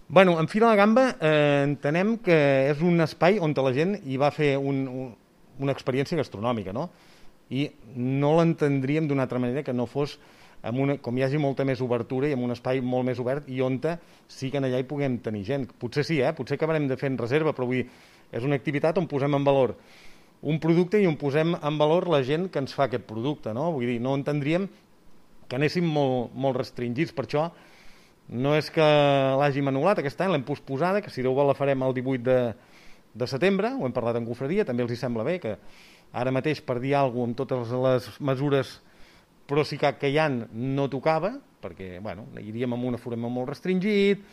Bueno, en Fira la Gamba entenem que és un espai on la gent hi va fer una experiència gastronòmica, no? I no l'entendríem d'una altra manera que no fos com hi hagi molta més obertura i amb un espai molt més obert i on sí que allà hi puguem tenir gent. Potser sí, potser acabarem de fer en reserva, però vull dir, és una activitat on posem en valor un producte i on posem en valor la gent que ens fa aquest producte, no? Vull dir, no entendríem que anéssim molt restringits, per això no és que l'hàgim anul·lat aquest any, l'hem posposada, que si Déu vol la farem el 18 de setembre, ho hem parlat en Confraria, també els hi sembla bé que ara mateix per dir alguna cosa amb totes les mesures Procicat que hi ha no tocava, perquè bueno, iríem amb un aforament molt restringit,